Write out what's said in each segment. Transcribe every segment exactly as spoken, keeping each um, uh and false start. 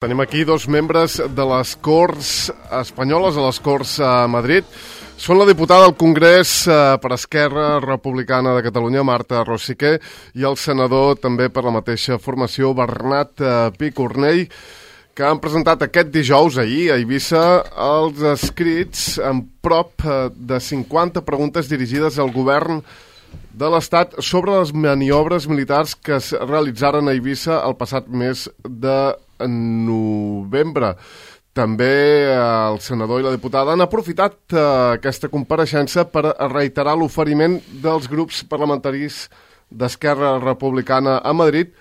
Tenim aquí dos membres de les Corts espanyoles, a les Corts a Madrid. Són la diputada al Congrés eh, per Esquerra Republicana de Catalunya, Marta Rosique, i el senador també per la mateixa formació, Bernat eh, Picornell, que han presentat aquest dijous, ahir, a Eivissa, els escrits en prop eh, de cinquanta preguntes dirigides al govern de l'Estat sobre les maniobres militars que es realitzaren a Eivissa el passat mes de novembre. També el senador i la diputada han aprofitat eh, aquesta compareixença per reiterar l'oferiment dels grups parlamentaris d'Esquerra Republicana a Madrid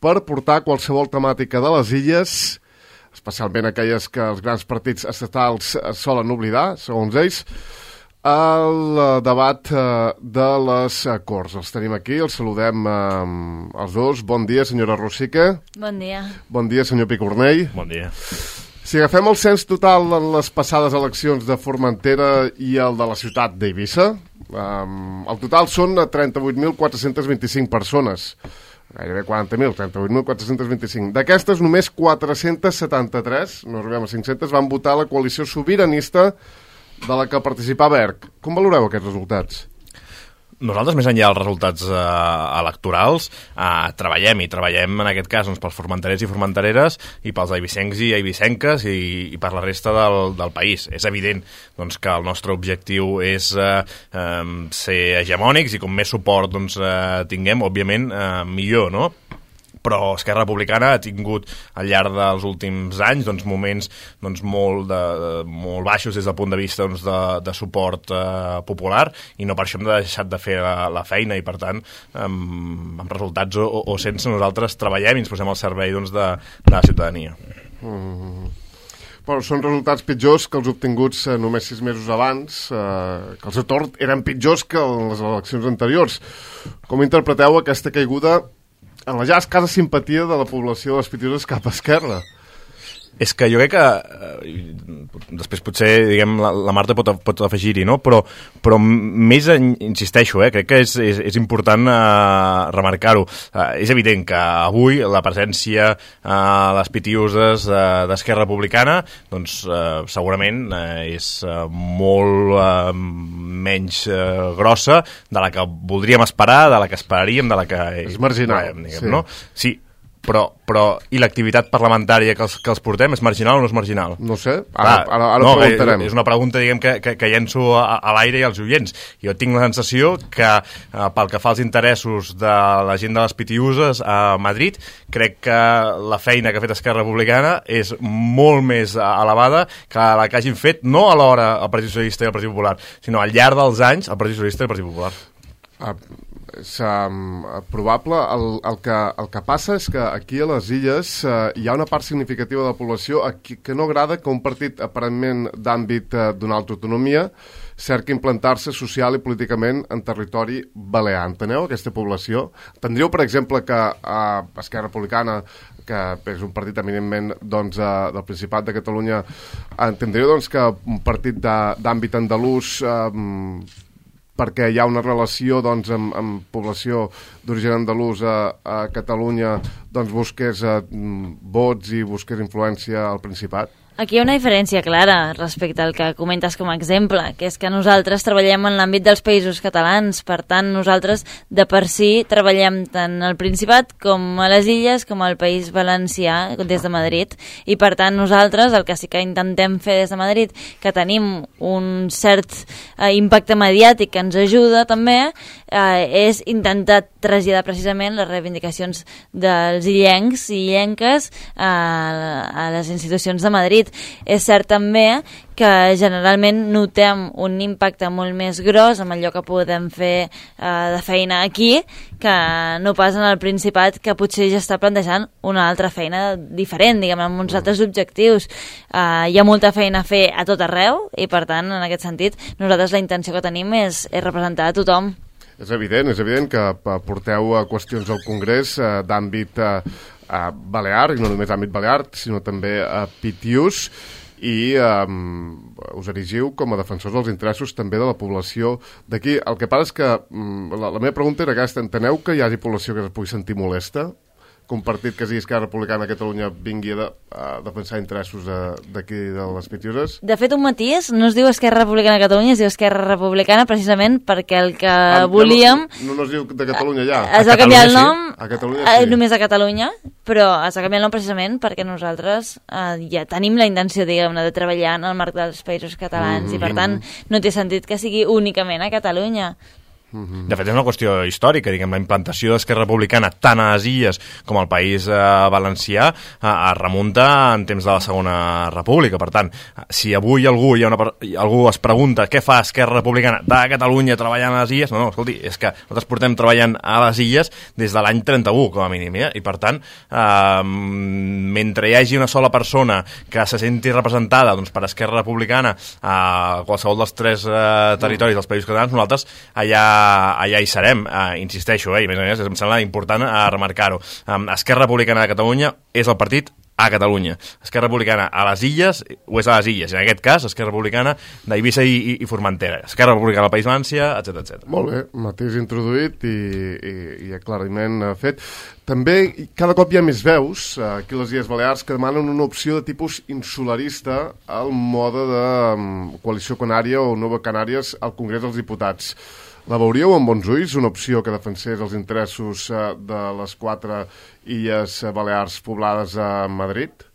per portar qualsevol temàtica de les illes, especialment aquelles que els grans partits estatals solen oblidar, segons ells, al debat de les Corts. Els tenim aquí, els saludem eh, els dos. Bon dia, senyora Rosique. Bon dia. Bon dia, senyor Picornell. Bon dia. Si agafem el cens total en les passades eleccions de Formentera i el de la ciutat d'Eivissa, eh, el total són trenta-vuit mil quatre-cents vint-i-cinc persones. Gairebé quaranta mil, trenta-vuit mil quatre-cents vint-i-cinc. D'aquestes, només quatre-cents setanta-tres, no arribem a cinc-cents, van votar la coalició sobiranista de la que participava E R C. Com valoreu aquests resultats? Nosaltres, més enllà dels resultats eh, electorals, eh, treballem, i treballem en aquest cas doncs, pels formenterers i formentereres i pels eivissencs i eivissenques i, i per la resta del, del país. És evident doncs, que el nostre objectiu és eh, eh, ser hegemònics i com més suport doncs, eh, tinguem, òbviament, eh, millor, no? Però Esquerra Republicana ha tingut al llarg dels últims anys doncs, moments doncs, molt, de, molt baixos des del punt de vista doncs, de, de suport eh, popular, i no per això hem deixat de fer la, la feina, i per tant amb, amb resultats o, o sense, nosaltres treballem i ens posem al servei doncs, de, de la ciutadania. Mm. Però són resultats pitjors que els obtinguts eh, només sis mesos abans, eh, que els de tort eren pitjors que les eleccions anteriors. Com interpreteu aquesta caiguda en la ja escassa simpatia de la població de les Pitiuses cap a Esquerra? És que jo crec que, eh, després potser diguem, la, la Marta pot, pot afegir-hi, no? però, però més, en, insisteixo, eh, crec que és, és, és important eh, remarcar-ho. Eh, és evident que avui la presència a eh, les Pitiuses eh, d'Esquerra Republicana doncs, eh, segurament eh, és eh, molt eh, menys eh, grossa de la que voldríem esperar, de la que esperaríem, de la que... És marginal. Diguem, sí. No? Sí. Però, però i l'activitat parlamentària que els, que els portem és marginal o no és marginal? No sé, ara, Clar, ara, ara no, preguntarem. És una pregunta diguem, que, que, que llenço a, a l'aire i als oients. Jo tinc la sensació que eh, pel que fa als interessos de la gent de les Pitiuses a Madrid, crec que la feina que ha fet Esquerra Republicana és molt més elevada que la que hagin fet, no alhora el Partit Socialista i el Partit Popular, sinó al llarg dels anys el Partit Socialista i el Partit Popular. Ah, és um, probable. El, el, que, el que passa és que aquí a les illes uh, hi ha una part significativa de la població aquí, que no agrada que un partit aparentment d'àmbit uh, d'una altra autonomia cerqui implantar-se social i políticament en territori balear. Enteneu aquesta població? Entendríeu, per exemple, que uh, Esquerra Republicana, que és un partit eminentment doncs, uh, del Principat de Catalunya, entendríeu doncs, que un partit d'àmbit andalús uh, perquè hi ha una relació doncs, amb, amb població d'origen andalús a, a Catalunya, doncs busqués eh, vots i busqués influència al Principat? Aquí hi ha una diferència clara respecte al que comentes com a exemple, que és que nosaltres treballem en l'àmbit dels països catalans, per tant nosaltres de per si treballem tant al Principat com a les Illes com al País Valencià des de Madrid, i per tant nosaltres el que sí que intentem fer des de Madrid, que tenim un cert eh, impacte mediàtic que ens ajuda també, eh, és intentar traslladar precisament les reivindicacions dels illencs i illenques a, a les institucions de Madrid. És cert també que generalment notem un impacte molt més gros amb allò que podem fer eh, de feina aquí que no pas en el Principat, que potser ja està plantejant una altra feina diferent, diguem, amb uns altres objectius. Eh, hi ha molta feina a fer a tot arreu i per tant, en aquest sentit, nosaltres la intenció que tenim és, és representar a tothom. És evident, és evident que porteu qüestions al Congrés eh, d'àmbit eh, a Balear, i no només àmbit Balear, sinó també a Pitiús, i um, us erigiu com a defensors dels interessos també de la població d'aquí. El que passa és que um, la, la meva pregunta era aquesta: enteneu que hi hagi població que es pugui sentir molesta que un partit que sigui Esquerra Republicana a Catalunya vingui a, de, a defensar interessos d'aquí de les Pitiuses? De fet, un matís no es diu Esquerra Republicana de Catalunya, es diu Esquerra Republicana precisament perquè el que ah, volíem... No, no, no es diu de Catalunya ja? Es va canviar el nom, sí? A Catalunya sí. Només a Catalunya, però es va canviar el nom precisament perquè nosaltres eh, ja tenim la intenció, diguem-ne, de treballar en el marc dels països catalans mm-hmm. i per tant no té sentit que sigui únicament a Catalunya. De fet, és una qüestió històrica, diguem, la implantació d'Esquerra Republicana tant a les Illes com al País eh, Valencià eh, es remunta en temps de la Segona República. Per tant, si avui algú, hi ha una, algú es pregunta què fa Esquerra Republicana de Catalunya treballant a les Illes, no, no, escolti, és que nosaltres portem treballant a les Illes des de l'any trenta-u, com a mínim, eh? I per tant, eh, mentre hi hagi una sola persona que se senti representada doncs, per Esquerra Republicana a qualsevol dels tres eh, territoris dels Països Catalans, nosaltres allà allà hi serem, uh, insisteixo, eh, i a més a més em sembla important uh, remarcar-ho. Um, Esquerra Republicana de Catalunya és el partit a Catalunya. Esquerra Republicana a les Illes o és a les Illes. En aquest cas, Esquerra Republicana d'Eivissa i, i, i Formentera. Esquerra Republicana del País Valencià, etcètera, etcètera. Molt bé, mateix introduït i, i, i aclariment fet. També cada cop hi ha més veus aquí a les Illes Balears que demanen una opció de tipus insularista al mode de um, Coalició Canària o Nova Canàries al Congrés dels Diputats. La veuríeu amb bons ulls, una opció que defensés els interessos eh, de les quatre illes balears poblades a Madrid?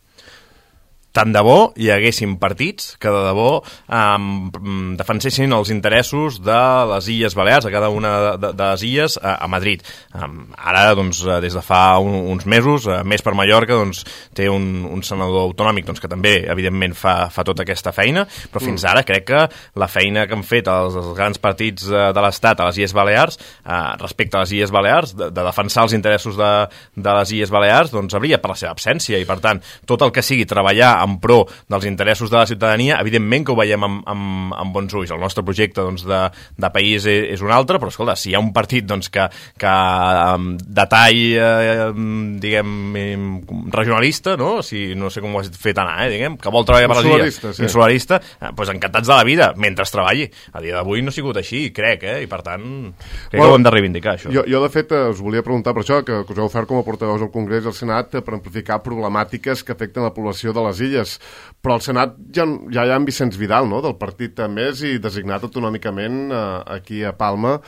Tant de bo hi haguessin partits que de debò um, defensessin els interessos de les Illes Balears, a cada una de, de, de les illes, a, a Madrid. Um, ara, doncs, des de fa un, uns mesos, uh, Més per Mallorca, doncs, té un, un senador autonòmic doncs, que també, evidentment, fa, fa tota aquesta feina, però fins ara crec que la feina que han fet els, els grans partits uh, de l'Estat a les Illes Balears, uh, respecte a les Illes Balears, de, de defensar els interessos de, de les Illes Balears, doncs, hauria per la seva absència, i, per tant, tot el que sigui treballar en pro dels interessos de la ciutadania, evidentment que ho veiem amb, amb, amb bons ulls. El nostre projecte doncs, de, de país és, és un altre, però escolta, si hi ha un partit doncs, que, que de tall eh, diguem regionalista, no? Si, no sé com ho has fet anar, eh, diguem, que vol treballar per les illes, sí. Insularista, eh, doncs encantats de la vida, mentre treballi. A dia d'avui no ha sigut així, crec, eh, i per tant crec bueno, que ho hem de reivindicar, això. Jo, jo de fet, us volia preguntar per això, que, que us heu ofert com a portaveus al Congrés i al Senat per amplificar problemàtiques que afecten la població de les illes. Però al Senat ja, ja hi ha en Vicenç Vidal, no?, del partit Més i designat autonòmicament eh, aquí a Palma,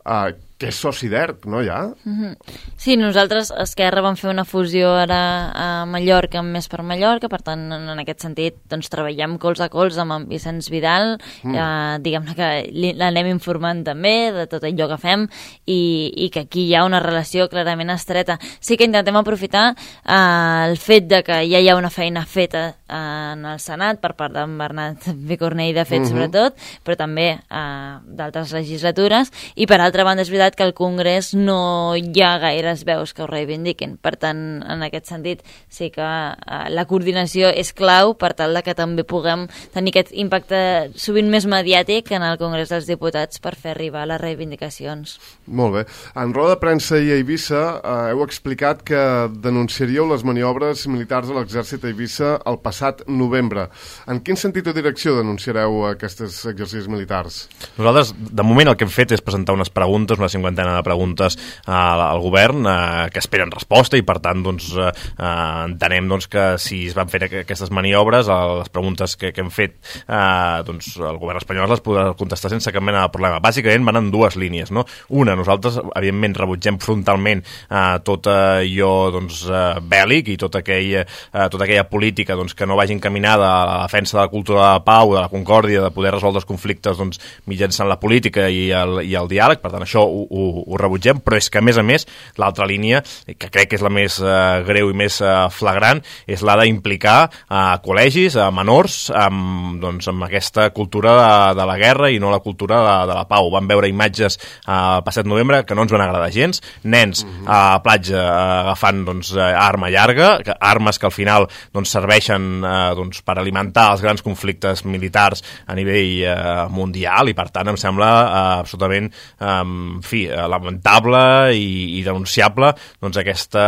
eh, que és soci d'E R C, no, ja? Mm-hmm. Sí, nosaltres a Esquerra vam fer una fusió ara a Mallorca amb Més per Mallorca, per tant, en aquest sentit, doncs treballem colze a colze amb en Vicenç Vidal, mm. eh, diguem-ne que l'anem informant també de tot allò que fem i, i que aquí hi ha una relació clarament estreta. Sí que intentem aprofitar eh, el fet de que ja hi ha una feina feta eh, en el Senat per part d'en Bernat Picornell, de fet, mm-hmm. sobretot, però també eh, d'altres legislatures, i per altra banda és veritat que al Congrés no hi ha gaires veus que ho reivindiquin. Per tant, en aquest sentit, sí que eh, la coordinació és clau per tal de que també puguem tenir aquest impacte sovint més mediàtic en el Congrés dels Diputats per fer arribar les reivindicacions. Molt bé. En roda de premsa i a Eivissa eh, heu explicat que denunciaríeu les maniobres militars de l'exèrcit a Eivissa el passat novembre. En quin sentit o direcció denunciareu aquests exercicis militars? Nosaltres, de moment, el que hem fet és presentar unes preguntes, unes cinquantena de preguntes uh, al govern uh, que esperen resposta i per tant doncs, uh, uh, entenem doncs, que si es van fer aquestes maniobres, uh, les preguntes que, que hem fet uh, doncs, el govern espanyol les podrà contestar sense cap mena de problema. Bàsicament van en dues línies, no? Una, nosaltres evidentment rebutgem frontalment uh, tot allò doncs, uh, bèl·lic i tota aquella, uh, tota aquella política doncs, que no vagi encaminada a la defensa de la cultura de la pau, de la concòrdia, de poder resoldre els conflictes doncs, mitjançant la política i el, i el diàleg. Per tant, això ho, ho, ho rebutgem, però és que a més a més l'altra línia, que crec que és la més uh, greu i més uh, flagrant, és la d'implicar a uh, col·legis, a uh, menors amb, doncs, amb aquesta cultura de, de la guerra i no la cultura de, de la pau. Vam veure imatges uh, el passat novembre que no ens van agradar gens, nens uh, a la platja uh, agafant doncs, uh, arma llarga, que, armes que al final doncs, serveixen uh, doncs, per alimentar els grans conflictes militars a nivell uh, mundial, i per tant em sembla uh, absolutament uh, en fi, lamentable i, i denunciable doncs, aquesta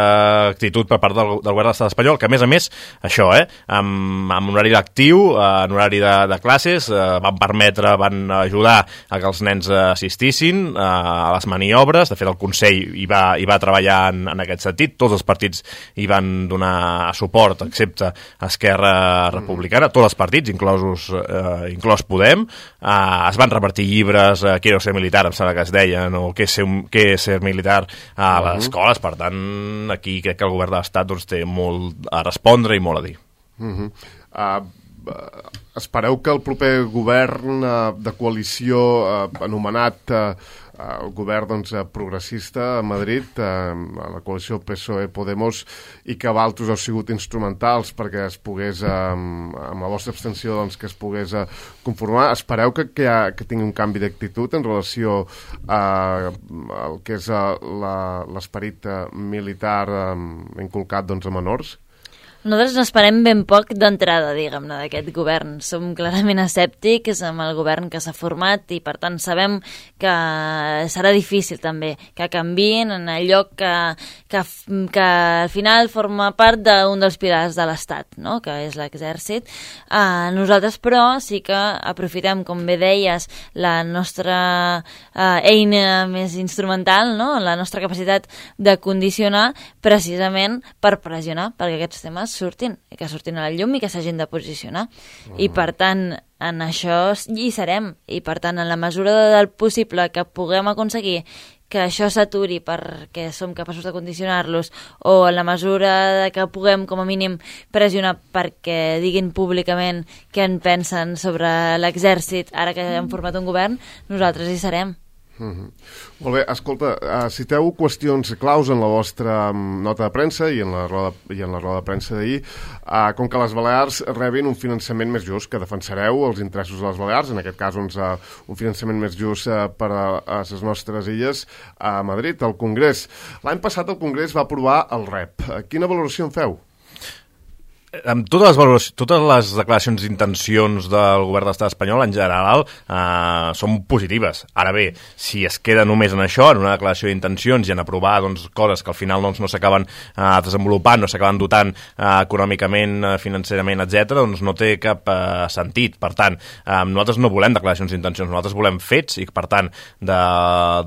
actitud per part del, del govern de l'estat espanyol, que a més a més, això, eh, amb, amb un horari lectiu, en horari de, de classes, eh, van permetre, van ajudar a que els nens assistissin eh, a les maniobres. De fet, el Consell hi va, hi va treballar en, en aquest sentit, tots els partits hi van donar suport, excepte Esquerra Republicana, tots els partits, inclosos, eh, inclòs Podem, eh, es van repartir llibres, eh, Quiero ser militar, em sembla que es deien, o què és ser, què és ser militar a les escoles. Per tant, aquí crec que el govern de l'Estat doncs, té molt a respondre i molt a dir. Uh -huh. uh, espereu que el proper govern uh, de coalició uh, anomenat uh, el govern doncs, progressista a Madrid, eh, a la coalició P S O E-Podemos, i que Valtos heu sigut instrumentals perquè es pogués, eh, amb la vostra abstenció, doncs, que es pogués eh, conformar. Espereu que, que, ha, que tingui un canvi d'actitud en relació a, a el que és l'esperit militar eh, inculcat doncs, a menors? Nosaltres n'esperem ben poc d'entrada, diguem-ne, d'aquest govern. Som clarament escèptics amb el govern que s'ha format i, per tant, sabem que serà difícil també que canviïn en allò que, que, que al final forma part d'un dels pilars de l'Estat, no?, que és l'exèrcit. Uh, nosaltres, però, sí que aprofitem, com bé deies, la nostra uh, eina més instrumental, no?, la nostra capacitat de condicionar precisament per pressionar perquè aquests temes surtin, que surtin a la llum i que s'hagin de posicionar. Uh-huh. I per tant, en això hi serem. I per tant, en la mesura del possible que puguem aconseguir que això s'aturi perquè som capaços de condicionar-los, o en la mesura que puguem, com a mínim, pressionar perquè diguin públicament què en pensen sobre l'exèrcit ara que hem format un govern, nosaltres hi serem. Uh-huh. Molt bé, escolta, uh, citeu qüestions claus en la vostra um, nota de premsa i en la roda, i en la roda de premsa d'ahir, uh, com que les Balears rebin un finançament més just, que defensareu els interessos de les Balears, en aquest cas doncs, uh, un finançament més just uh, per a, a les nostres illes a Madrid, al Congrés. L'any passat el Congrés va aprovar el R E P. Uh, quina valoració en feu? Amb totes les, totes les declaracions d'intencions del govern de l'estat espanyol en general eh, són positives. Ara bé, si es queda només en això, en una declaració d'intencions i en aprovar doncs, coses que al final doncs, no s'acaben eh, desenvolupant, no s'acaben dotant eh, econòmicament, eh, financerament, etcètera, doncs no té cap eh, sentit. Per tant, eh, nosaltres no volem declaracions d'intencions, nosaltres volem fets i, per tant, de,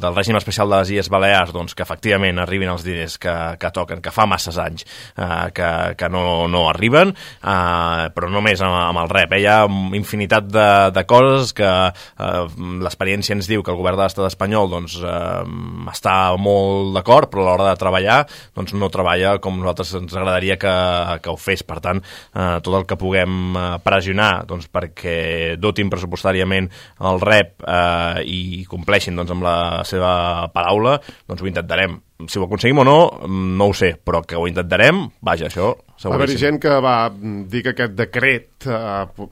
del règim especial de les Illes Balears, doncs, que efectivament arribin els diners que, que toquen, que fa masses anys eh, que, que no, no arriben. Uh, però només amb, amb el R E P. Hi ha infinitat de, de coses que uh, l'experiència ens diu que el govern de l'estat espanyol doncs, uh, està molt d'acord, però a l'hora de treballar doncs, no treballa com nosaltres ens agradaria que, que ho fes. Per tant, uh, tot el que puguem uh, pressionar doncs, perquè dotin pressupostàriament el R E P uh, i compleixin doncs, amb la seva paraula, doncs ho intentarem. Si ho aconseguim o no, no ho sé, però que ho intentarem, vaja, això seguríssim. Va haver gent que va dir que aquest decret eh,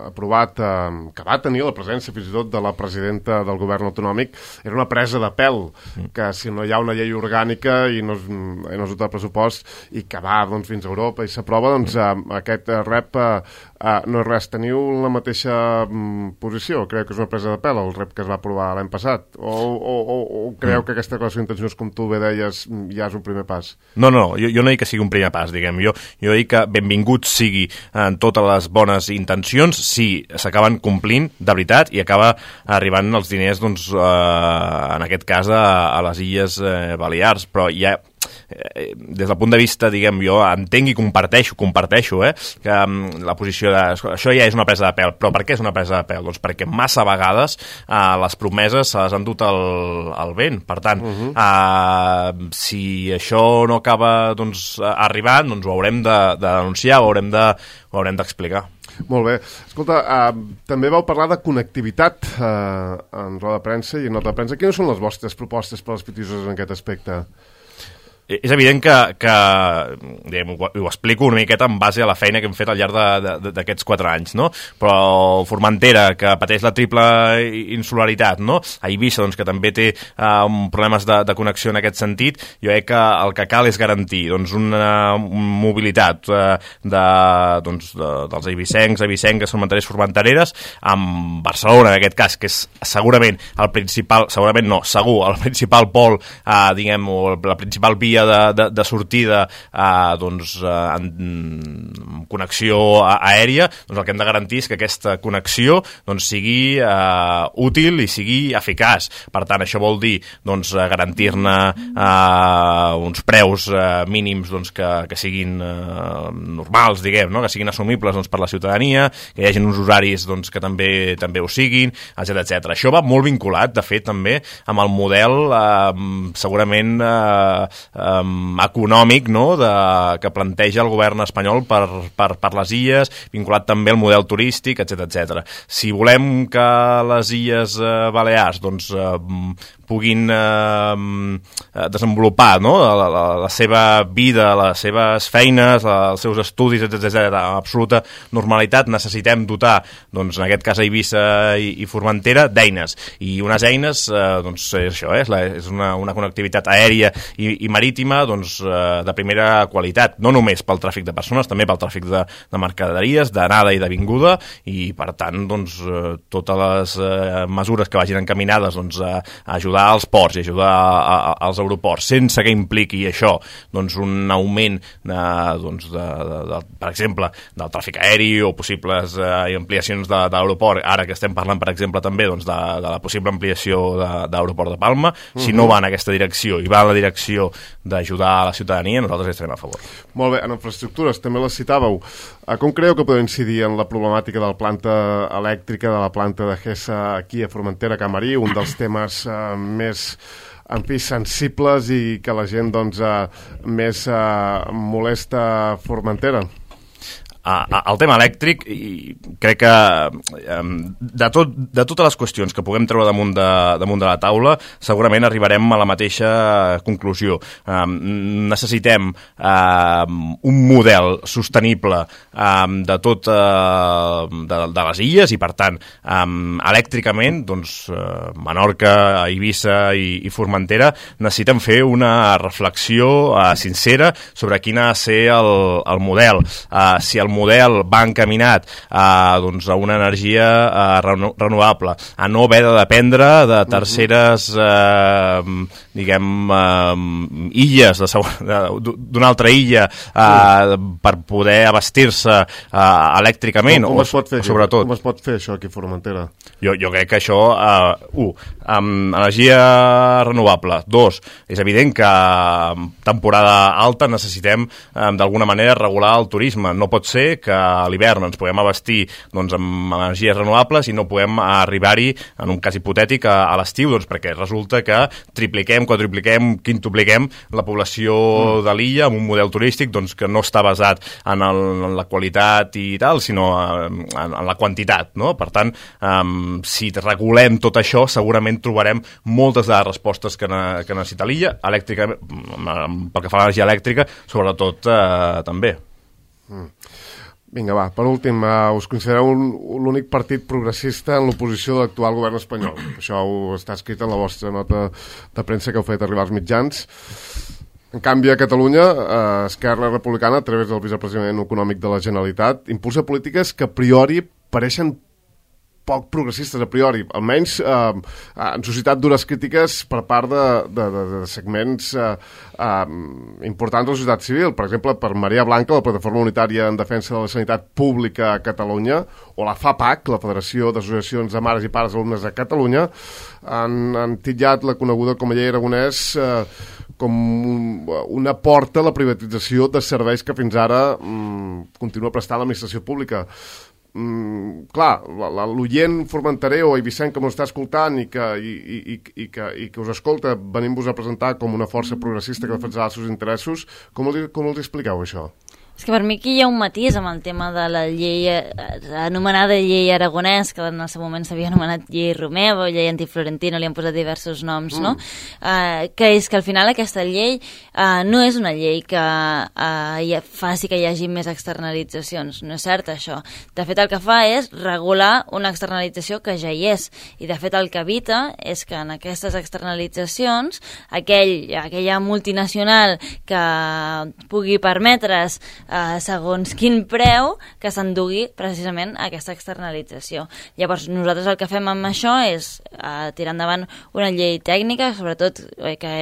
aprovat, eh, que va tenir la presència fins i tot de la presidenta del govern autonòmic, era una presa de pèl, mm. que si no hi ha una llei orgànica i no es, i no es dota de pressupost i que va doncs, fins a Europa i s'aprova, doncs eh, aquest R E P eh, eh, no és res. Teniu la mateixa mm, posició? Creu que és una presa de pèl el R E P que es va aprovar l'any passat? O, o, o, o creu mm. que aquesta declaració d'intencions, com tu bé deies, ja és un primer pas? No, no, jo, jo no dic que sigui un primer pas, diguem. Jo, jo dic que benvingut sigui en totes les bones intencions si s'acaben complint de veritat i acaba arribant els diners, doncs, eh, en aquest cas, a, a les Illes eh, Balears. Però ja eh, des del punt de vista, diguem, jo entenc i comparteixo, comparteixo, eh, que um, la posició de... Això ja és una presa de pèl, però per què és una presa de pèl? Doncs perquè massa vegades eh, les promeses se les han dut al, al vent. Per tant, uh-huh. eh, si això no acaba doncs, arribant, doncs ho haurem de, de denunciar, ho haurem de, ho haurem d'explicar. Molt bé. Escolta, uh, també vau parlar de connectivitat uh, en roda de premsa i en nota de premsa. Quines són les vostres propostes per als pitisos en aquest aspecte? és evident que, que diguem, ho, ho explico una miqueta en base a la feina que hem fet al llarg d'aquests quatre anys, no? Però Formentera, que pateix la triple insularitat, no? A Eivissa, doncs, que també té uh, problemes de, de connexió en aquest sentit, jo crec que el que cal és garantir doncs, una, una mobilitat uh, de, doncs, de, dels eivissencs, eivissenques, formenterers, formentereres, amb Barcelona, en aquest cas, que és segurament el principal, segurament no, segur, el principal pol, uh, diguem, o la principal via De, de, de sortida eh, doncs, eh, en connexió aèria, doncs el que hem de garantir és que aquesta connexió doncs, sigui eh, útil i sigui eficaç. Per tant, això vol dir doncs, garantir-ne eh, uns preus eh, mínims doncs, que, que siguin eh, normals, diguem, no? Que siguin assumibles doncs, per la ciutadania, que hi hagi uns horaris doncs, que també també ho siguin, etcètera etcètera. Això va molt vinculat, de fet, també amb el model eh, segurament eh, Um, econòmic, no?, de, que planteja el govern espanyol per, per, per les illes, vinculat també al model turístic, etcètera etcètera. Si volem que les illes uh, Balears doncs, uh, puguin uh, desenvolupar, no?, la, la, la seva vida, les seves feines, la, els seus estudis, etcètera etcètera, amb absoluta normalitat, necessitem dotar, doncs, en aquest cas a Eivissa i, i Formentera, d'eines. I unes eines, uh, doncs, és això, eh? és, la, és una, una connectivitat aèria i, i marítima doncs, de primera qualitat, no només pel tràfic de persones, també pel tràfic de, de mercaderies, d'anada i de vinguda, i per tant doncs, totes les eh, mesures que vagin encaminades doncs, a, a ajudar als ports i ajudar a, a, als aeroports, sense que impliqui això doncs, un augment de, doncs, de, de, de, per exemple, del tràfic aeri o possibles eh, ampliacions de, de l'aeroport, ara que estem parlant, per exemple, també doncs, de, de la possible ampliació de, de l'aeroport de Palma, uh-huh. Si no va en aquesta direcció i va en la direcció d'ajudar a la ciutadania, nosaltres estarem a favor. Molt bé, en infraestructures també les citàveu. Com creieu que podeu incidir en la problemàtica de la planta elèctrica, de la planta de Gesa aquí a Formentera, Camarí, un dels temes eh, més en fi, sensibles i que la gent doncs, eh, més eh, molesta a Formentera? El tema elèctric, i crec que de, tot, de totes les qüestions que puguem treure damunt de, damunt de la taula, segurament arribarem a la mateixa conclusió. Necessitem un model sostenible de tot de, de les illes i, per tant, elèctricament, doncs, Menorca, Eivissa i, i Formentera necessiten fer una reflexió sincera sobre quin ha de ser el, el model. Si el model va encaminat a, doncs, a una energia eh, renovable, a no haver de dependre de terceres eh, diguem eh, illes d'una altra illa eh, per poder abastir-se eh, elèctricament, com, com o, es pot fer, sobretot. Com es pot fer això aquí a Formentera? Jo, jo crec que això, eh, un, amb energia renovable, dos, és evident que en temporada alta necessitem eh, d'alguna manera regular el turisme. No pot ser que a l'hivern ens puguem abastir doncs, amb energies renovables i no puguem arribar-hi, en un cas hipotètic, a, a l'estiu, doncs, perquè resulta que tripliquem, quadrupliquem, quintupliquem la població mm. de l'illa amb un model turístic doncs, que no està basat en, el, en la qualitat i tal, sinó en, en la quantitat, no? Per tant, um, si regulem tot això, segurament trobarem moltes de les respostes que, ne, que necessita l'illa, elèctrica, pel que fa a l'energia elèctrica, sobretot eh, també. Mm. Vinga, va, per últim, uh, us considereu l'únic partit progressista en l'oposició de l'actual govern espanyol. Això ho està escrit en la vostra nota de premsa que heu fet arribar als mitjans. En canvi, a Catalunya, uh, Esquerra Republicana, a través del vicepresident econòmic de la Generalitat, impulsa polítiques que a priori pareixen poc progressistes a priori, almenys eh, han suscitat dures crítiques per part de, de, de, de segments eh, eh, importants de la societat civil. Per exemple, per Maria Blanca, la Plataforma Unitària en Defensa de la Sanitat Pública a Catalunya, o la FAPAC, la Federació d'Associacions de Mares i Pares d'Alumnes de Catalunya, han, han titllat la coneguda com a llei Aragonès eh, com una porta a la privatització de serveis que fins ara mm, continua prestant l'administració pública. Mm, clar, l'oient formenterer o eivissenc que m'ho està escoltant i que, i, i, i, que, i que us escolta venint-vos a presentar com una força progressista que defensarà els seus interessos, com els, com els expliqueu això? És que per mi aquí hi ha un matís amb el tema de la llei eh, anomenada llei Aragonès, que en el seu moment s'havia anomenat llei Romeva o llei Antiflorentino, li han posat diversos noms, mm. no? Uh, que és que al final aquesta llei uh, no és una llei que uh, faci que hi hagi més externalitzacions, no és cert això. De fet el que fa és regular una externalització que ja hi és, i de fet el que evita és que en aquestes externalitzacions aquell, aquella multinacional que pugui permetre's Uh, segons quin preu que s'endugui precisament aquesta externalització. Llavors nosaltres el que fem amb això és uh, tirar endavant una llei tècnica, sobretot eh, que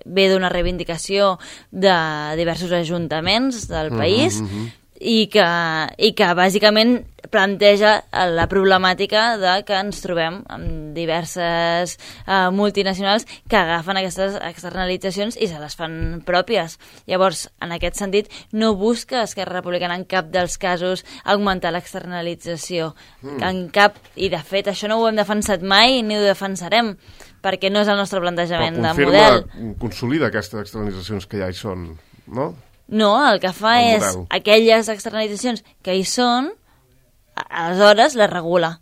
ve d'una reivindicació de diversos ajuntaments del país, mm-hmm. i que, i que bàsicament planteja la problemàtica de que ens trobem amb diverses uh, multinacionals que agafen aquestes externalitzacions i se les fan pròpies. Llavors, en aquest sentit, no busca Esquerra Republicana en cap dels casos augmentar l'externalització. Mm. En cap, i de fet això no ho hem defensat mai ni ho defensarem, perquè no és el nostre plantejament de model. Però consolida aquestes externalitzacions que ja hi són, no? No, el que fa el és model. Aquelles externalitzacions que hi són, aleshores les regula,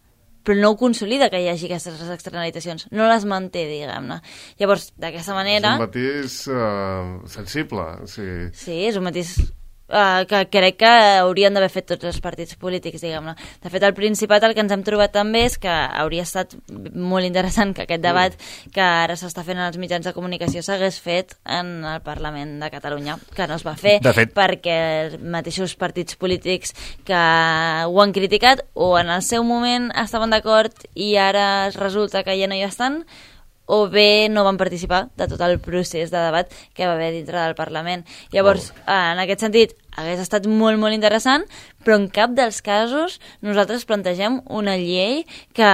però no ho consolida que hi hagi aquestes externalitzacions, no les manté, diguem-ne. Llavors, d'aquesta manera... És un matís uh, sensible. Sí. sí, és un matís uh, que crec que haurien d'haver fet tots els partits polítics, diguem-ne. De fet, al Principat el que ens hem trobat també és que hauria estat molt interessant que aquest debat que ara s'està fent en els mitjans de comunicació s'hagués fet en el Parlament de Catalunya, que no es va fer, perquè els mateixos partits polítics que ho han criticat o en el seu moment estaven d'acord i ara resulta que ja no hi estan, o bé no van participar de tot el procés de debat que va haver dintre del Parlament. Llavors, oh. en aquest sentit, hagués estat molt, molt interessant, però en cap dels casos nosaltres plantegem una llei que,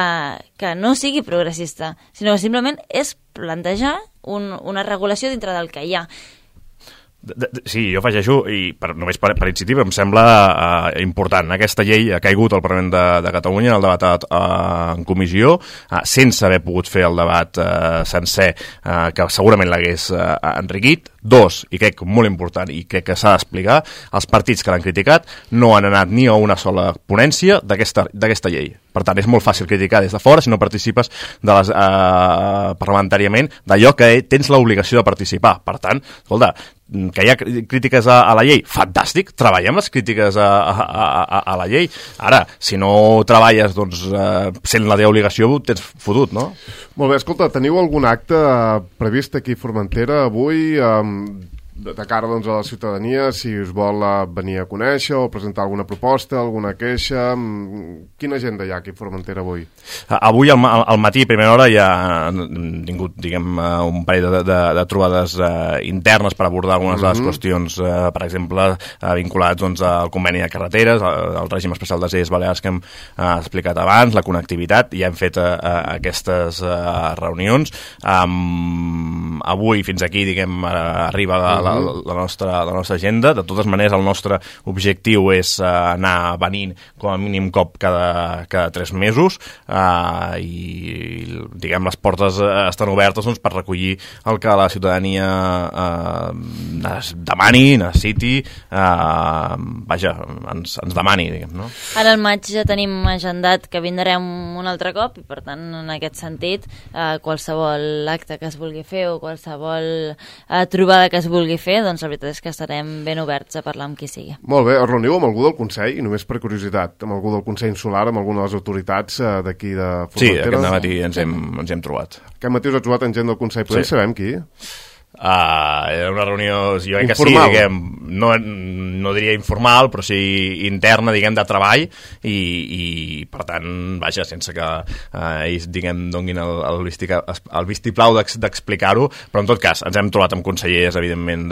que no sigui progressista, sinó que simplement és plantejar un, una regulació dintre del que hi ha. De, de, sí, jo afegeixo, i per, només per, per iniciativa, em sembla uh, important. Aquesta llei ha caigut al Parlament de, de Catalunya en el debat uh, en comissió, uh, sense haver pogut fer el debat uh, sencer, uh, que segurament l'hagués uh, enriquit. Dos, i crec molt important, i crec que s'ha d'explicar, els partits que l'han criticat no han anat ni a una sola ponència d'aquesta llei. Per tant, és molt fàcil criticar des de fora si no participes de les, uh, parlamentàriament d'allò que tens l'obligació de participar. Per tant, escolta, que hi ha crítiques a, a la llei, fantàstic, treballem les crítiques a, a, a, a la llei. Ara, si no treballes, doncs, eh, sent la teva obligació, tens fotut, no? Molt bé, escolta, teniu algun acte previst aquí a Formentera avui, eh, de, de cara doncs, a la ciutadania, si us vol uh, venir a conèixer o presentar alguna proposta, alguna queixa? Quina agenda hi ha aquí a Formentera avui? Avui al, al matí, a primera hora, ja han tingut, diguem, un parell de, de, de trobades uh, internes per abordar algunes mm-hmm. de les qüestions, uh, per exemple, uh, vinculats doncs, al conveni de carreteres, al, al règim especial de Illes Balears que hem uh, explicat abans, la connectivitat, i ja hem fet uh, uh, aquestes uh, reunions. Um, avui, fins aquí, diguem, uh, arriba la, la, la, nostra, la nostra agenda. De totes maneres, el nostre objectiu és uh, anar venint com a mínim cop cada, cada tres mesos uh, i, diguem, les portes uh, estan obertes doncs, per recollir el que la ciutadania uh, demani, necessiti, uh, vaja, ens, ens demani, diguem, no? Ara al maig ja tenim agendat que vindrem un altre cop i, per tant, en aquest sentit, uh, qualsevol acte que es vulgui fer o qualsevol uh, trobada que es vulgui fer, doncs la veritat és que estarem ben oberts a parlar amb qui sigui. Molt bé, es reuniu amb algú del Consell, i només per curiositat, amb algú del Consell Insular, amb alguna de les autoritats uh, d'aquí de Formentera? Sí, aquest matí ens hem, ens hem trobat. Aquest matí us heu trobat amb gent del Consell, podem sí. saber amb qui? Uh, era una reunió, jo crec que sí, diguem, no, no diria informal, però sí interna, diguem, de treball, i, i per tant, vaja, sense que uh, ells, diguem, donguin el, el, vistica, el vistiplau d'explicar-ho, però en tot cas, ens hem trobat amb consellers, evidentment,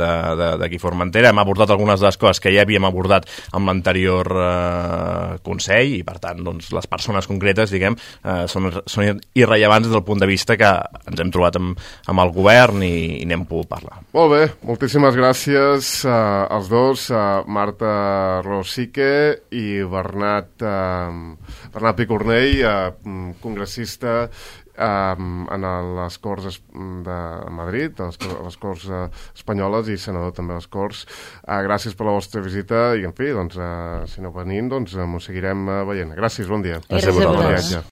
d'aquí Formentera, hem abordat algunes de les coses que ja havíem abordat amb l'anterior uh, Consell, i per tant, doncs, les persones concretes, diguem, uh, són, són irrellevants des del punt de vista que ens hem trobat amb, amb el govern i, i n'hem pogut parlar. Molt bé, moltíssimes gràcies uh, als dos, uh, Marta Rosique i Bernat, uh, Bernat Picornell, uh, congressista en les Corts de Madrid, a les, a les Corts uh, espanyoles, i senador també a les Corts. Uh, gràcies per la vostra visita i, en fi, doncs, uh, si no venint, doncs, uh, m'ho seguirem uh, veient. Gràcies, bon dia. Gràcies a vosaltres.